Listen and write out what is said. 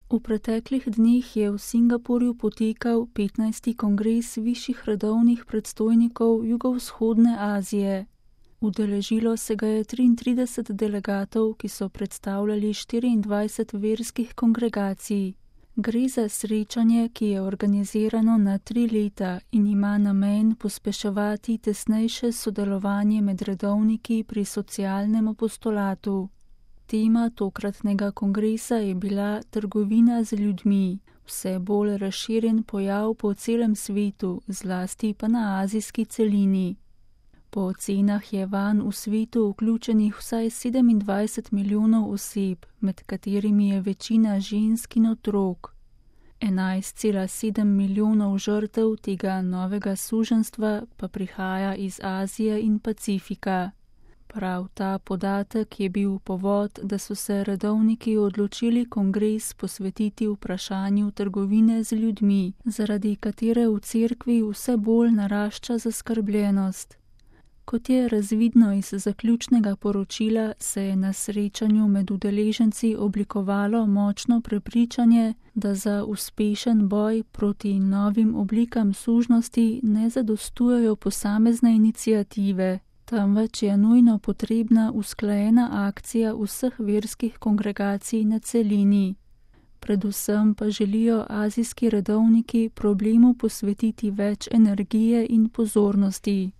V preteklih dneh je v Singapurju potekal 15. kongres višjih redovnih predstojnikov Jugovzhodne Azije. Udeležilo se ga je 33 delegatov, ki so predstavljali 24 verskih kongregacij. Gre za srečanje, ki je organizirano na 3 leta in ima namen pospeševati tesnejše sodelovanje med redovniki pri socialnem apostolatu. Tema tokratnega kongresa je bila trgovina z ljudmi, vse bolj razširjen pojav po celem svetu, zlasti pa na azijski celini. Po ocenah je vanj v svetu vključenih vsaj 27 milijonov oseb, med katerimi je večina žensk in otrok. 11,7 milijonov žrtev tega novega suženjstva pa prihaja iz Azije in Pacifika. Prav ta podatek je bil povod, da so se redovniki odločili kongres posvetiti vprašanju trgovine z ljudmi, zaradi katere v cerkvi vse bolj narašča zaskrbljenost. Kot je razvidno iz zaključnega poročila, se je na srečanju med udeleženci oblikovalo močno prepričanje, da za uspešen boj proti novim oblikam sužnosti ne zadostujejo posamezne iniciative, temveč je nujno potrebna usklajena akcija vseh verskih kongregacij na celini. Predvsem pa želijo azijski redovniki problemu posvetiti več energije in pozornosti.